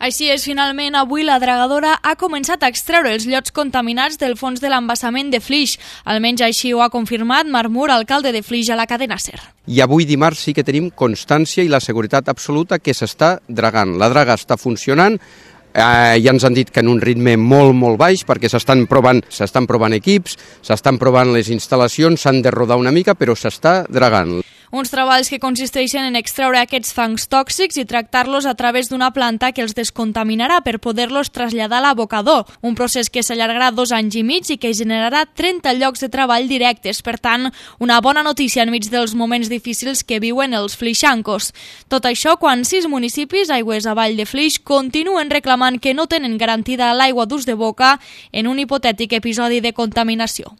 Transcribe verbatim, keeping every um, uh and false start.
Així és, finalment, avui la dragadora ha començat a extreure els llots contaminats del fons de l'embassament de Flix. Almenys així ho ha confirmat Marc Mur, alcalde de Flix, a la cadena SER. I avui dimarts sí que tenim constància i la seguretat absoluta que s'està dragant. La draga està funcionant, eh, ja ens han dit que en un ritme molt, molt baix, perquè s'estan provant, s'estan provant equips, s'estan provant les instal·lacions, s'han de rodar una mica, però s'està dragant. Uns treballs que consisteixen en extreure aquests fangs tòxics i tractar-los a través d'una planta que els descontaminarà per poder-los traslladar a l'abocador, un procés que s'allargarà dos anys i mig i que generarà trenta llocs de treball directes. Per tant, una bona notícia enmig dels moments difícils que viuen els flixancos. Tot això quan sis municipis, aigües avall de Flix, continuen reclamant que no tenen garantida l'aigua d'ús de boca en un hipotètic episodi de contaminació.